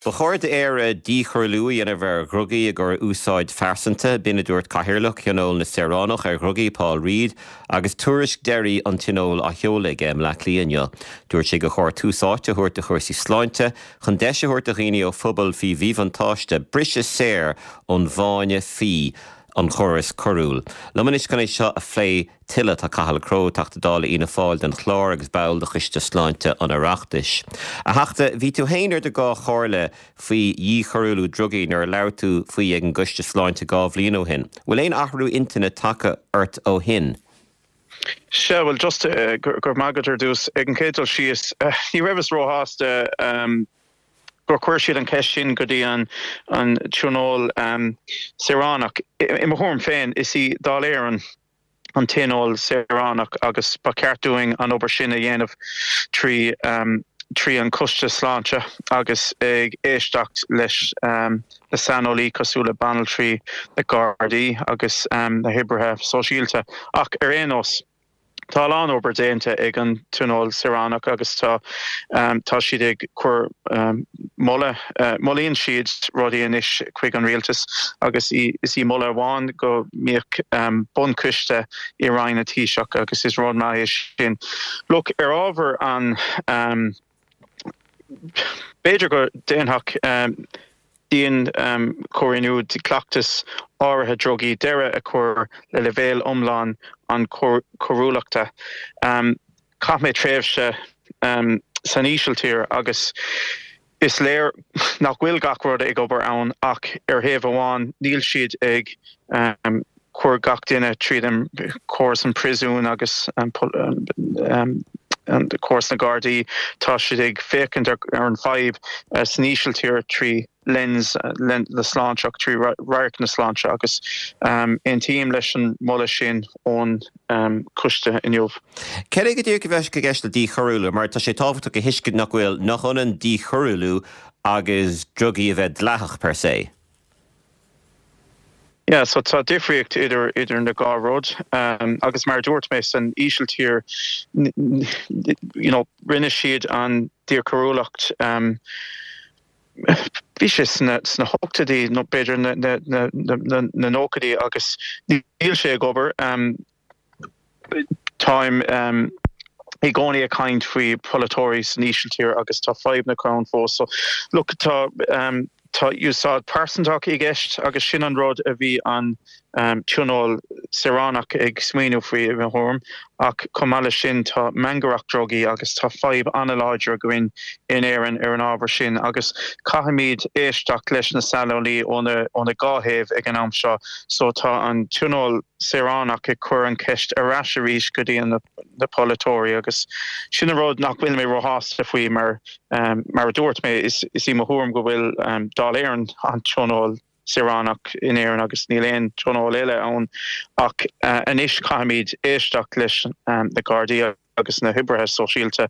Ba chóir d'Éire díchoiriúlú a dhéanamh ar dhrugaí i gcomhair úsáid phearsanta, b'in a dúirt Cathaoirleach Thionól na Saoránach ar Dhrugaí, Paul Reid, agus tuairisc deiridh an Tionóil á sheoladh aige i mBleá Cliath inniu. Dúirt sé gur chóir tús áite a thabhairt do chúrsaí sláinte chun deis a thabhairt do dhaoine ó phobail faoi mhíbhuntáiste briseadh saor ón bhfáinne fí an chórais coiriúil. Liom anois chun é seo a phlé tuilleadh. Tá Cathal Crowe, Teachta Dála Fhianna Fáil don Chlár agus ball de Choiste Sláinte an Oireachtais. A Theachta, bhí tú féin ar do dhá chomhairle faoi dhíchoiriúlú drugaí nuair a labhair tú faoi ag an gCoiste Sláinte 2 bhliain ó shin. Bhfuil aon athrú intinne tagtha ort ó shin? Sea, bhuel, just go raibh maith agat ar dtús. Ag an chéad dul síos, ní rabhas róshásta gur chuir siad an cheist sin go dtí an Tionól Saoránach. I mo thuairim féin, is í Dáil Éireann an Tionól Saoránach agus ba cheart dúinn an obair sin a dhéanamh trí trí an Coiste Sláinte agus ag éisteacht leis na saineolaí cosúil le banaltraí, na Gardaí agus na hoibrithe sóisialta. Ach ar aon nós. Tá a lán obair déanta ag an Tionól Saoránach agus tá tá siad ag cur moladh, molaíonn siad rudaí anois chuig an rialtas agus is í moladh amháin go mbeadh bunchoiste i Roinn an Taoiseach agus is rud maith é sin. Look, ar ábhar an b'fhéidir go déanfadh dianchoiriúlú cleachtas áirithe drugaí deireadh a chur le leibhéal iomlán an choiriúlachta. Chaith mé tréimhse san Ísiltír agus is léir nach bhfuil gach rud ag obair ann ach ar thaobh amháin níl siad ag cur gach duine tríd an córas an príosún agus an córas na Gardaí. Tá siad ag féachaint ar an fadhb san Ísiltír trí lens na sláinte, trí radharc na sláinte agus aontaím leis an moladh sin ón coiste inniu. Cad é go díreach a bheadh i gceist le díchoiriúlú? Mar tá sé tábhachtach a thuiscint nach bhfuil, nach ionann díchoiriúlú agus drugaí a bheith dleathach per se. Yeah, so tá difríocht idir idir na dhá rud agus mar a dúirt mé san Ísiltír you know rinne siad an díchoiriúlacht bhí sé sna sna hochtóidí nó b'fhéidir na na na na na nóchaidí agus níl sé ag obair. Táim i gcónaí ag caint faoi pholaiteoirí san Ísiltír agus tá fadhb na ann fós. So look tá tá úsáid pearsantach i gceist agus sin an rud a bhí an Tionól Saoránach ag smaoineamh faoi i mo thuairim ach chomh maith leis sin tá mangaireacht drugaí agus tá fadhb an-láidir againn in Éirinn ar an ábhar sin agus caithfimid éisteacht leis na saineolaí ó na ó na dhá thaobh ag an am seo so tá an Tionól saoránach ag cur an cheist ar ais arís go dtí na polaiteoirí agus sin an rud nach bhfuil mé róshásta faoi mar mar a dúirt mé is í mo thuairim go bhfuil Dáil Éireann an tionól saoránach in Éirinn agus níl aon tionól eile ann ach anois caithfimid éisteacht leis na Gardaí agus na hoibrithe sóisialta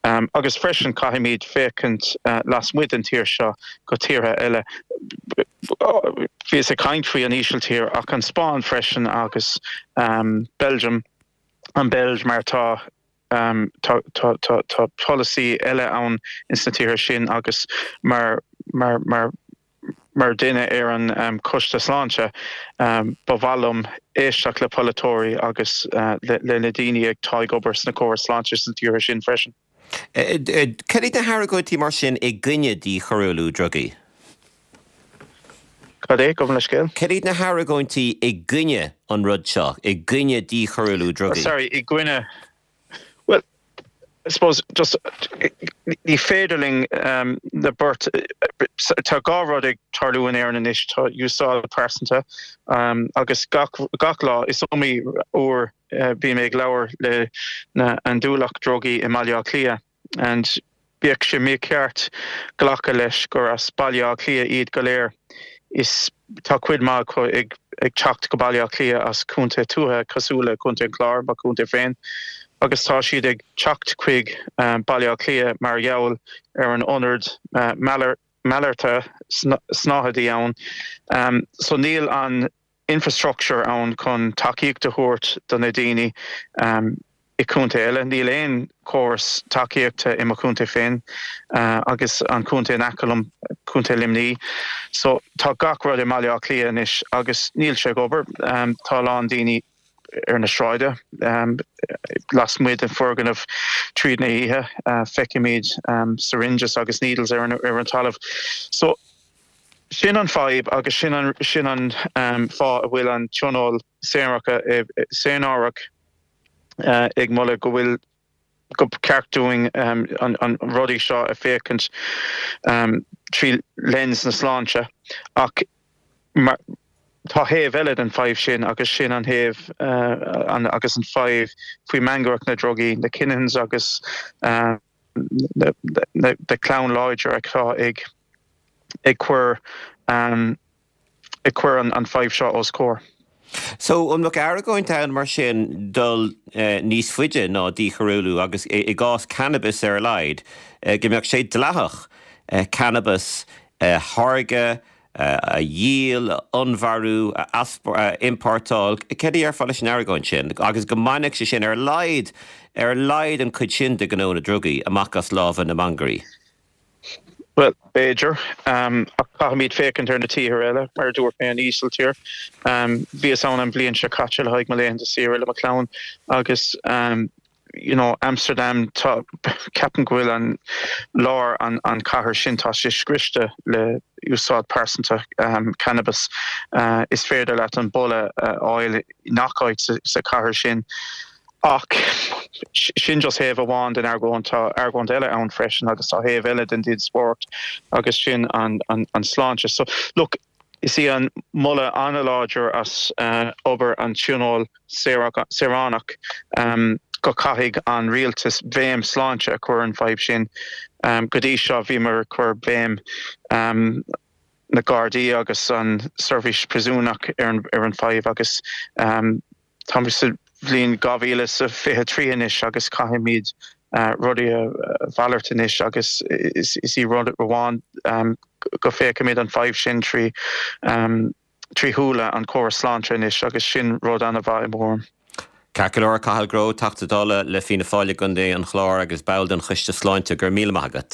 agus freisin caithfimid féachaint lasmuigh den tír seo go tíortha eile. Bhíos ag caint faoi an Ísiltír ach an Spáinn freisin agus Belgium, an Beilg mar tá tá tá tá tá polasaí eile ann ins na tíortha sin agus mar mar mar Mar duine ar an Choiste Sláinte, ba mhaith liom éisteacht le polaiteoirí agus le na daoine atá ag obair sna córais sláinte sna tíortha sin freisin. Cad iad na hargóintí mar sin i gcoinne díchoiriúlú drugaí? Cad é? Gabh mo leithscéal. Cad iad na hargóintí i gcoinne an rud seo, i gcoinne díchoiriúlú drugaí? Sorry, i gcoinne. Bhuel, I suppose just ní féidir linn na beart, tá dhá rud ag tarlú in Éirinn anois, tá úsáid pearsanta agus gach gach lá is iomaí uair bím ag labhair le na andúileach drugaí i mBaile Átha Cliath and Bheadh sé mícheart glacadh leis gur as Baile Átha Cliath iad go léir. Is tá cuid maith acu ag teacht go Baile Átha Cliath as contae tuaithe cosúil le Contae an Chláir, mo chontae féin, agus tá siad ag teacht chuig Baile Átha Cliath mar gheall ar an ionad malartaithe snáthaidí ann. So níl an infrastructure ann chun tacaíocht a thabhairt do na daoine. I contae eile, níl aon chóras tacaíochta i mo chontae féin agus an contae in aice liom, Contae Luimní. So tá gach rud i mBaile Átha Cliath anois agus níl sé ag obair. Tá a lán daoine ar na sráide, lasmuigh den foirgneamh tríd na hoíche. Feicimid syringes agus needles ar an talamh. So sin an fadhb agus sin an sin an fáth a bhfuil an Tionól Saoránach ag moladh go bhfuil go ceart dúinn an rudaí seo a féachaint trí lens na sláinte ach mar tá thaobh eile den fadhb sin agus sin an thaobh agus an fadhb faoi mangaireacht na drugaí, na Kinahans agus na clann láidir atá ag ag cur ag cur an fadhb seo os comhair. So, an mbeadh argóint ann mar sin dul níos faide ná díchoiriúlú agus i gcás cannabis ar a laghad, go mbeadh sé dleathach cannabas a tháirgeadh, a dhíol, a onnmhairiú, a iompórtáil? Céard a dhéarfá leis an argóint sin agus go mbainfeadh sé sin ar a laghad, ar a laghad an chuid sin de ghnó na drugaí amach as lámha na mangairí? Bhuel, b'fhéidir, ach caithfimid féachaint ar na tíortha eile, mar a dúirt mé, an Ísiltír. Bhíos ann an bhliain seo caite le haghaidh mo laethanta saoire le mo chlann agus you know, Amsterdam, tá, ceapaim go bhfuil an lár an an chathair sin, tá sé scriosta le úsáid pearsanta cannabis. Is féidir leat an boladh a fháil i ngach áit sa chathair sin. Ach sin just thaobh amháin den argóint. Tá argóint eile ann freisin agus tá thaobh eile den díospóireacht agus sin an sláinte. So, look, is í an moladh an-láidir as obair an Tionóil Saoránach go caithfidh an rialtas béim sláinte a chur ar an bhfadhb sin. Go dtí seo bhíomar ag cur béim na Gardaí agus an seirbhís príosúnach ar an fadhb agus Táimid sa bhliain 2023 anois agus caithfimid rudaí a mhalairt anois agus is í rud amháin go féachaimid an fadhb sin trí trí shúile an chóras sláinte anois agus sin rud an-mhaith i mo thuairim. Ceart go leor, Cathal Grow, Teachta Dála le Fianna Fáil i gContae an Chláir agus ball den Choiste Sláinte, go raibh míle maith agat.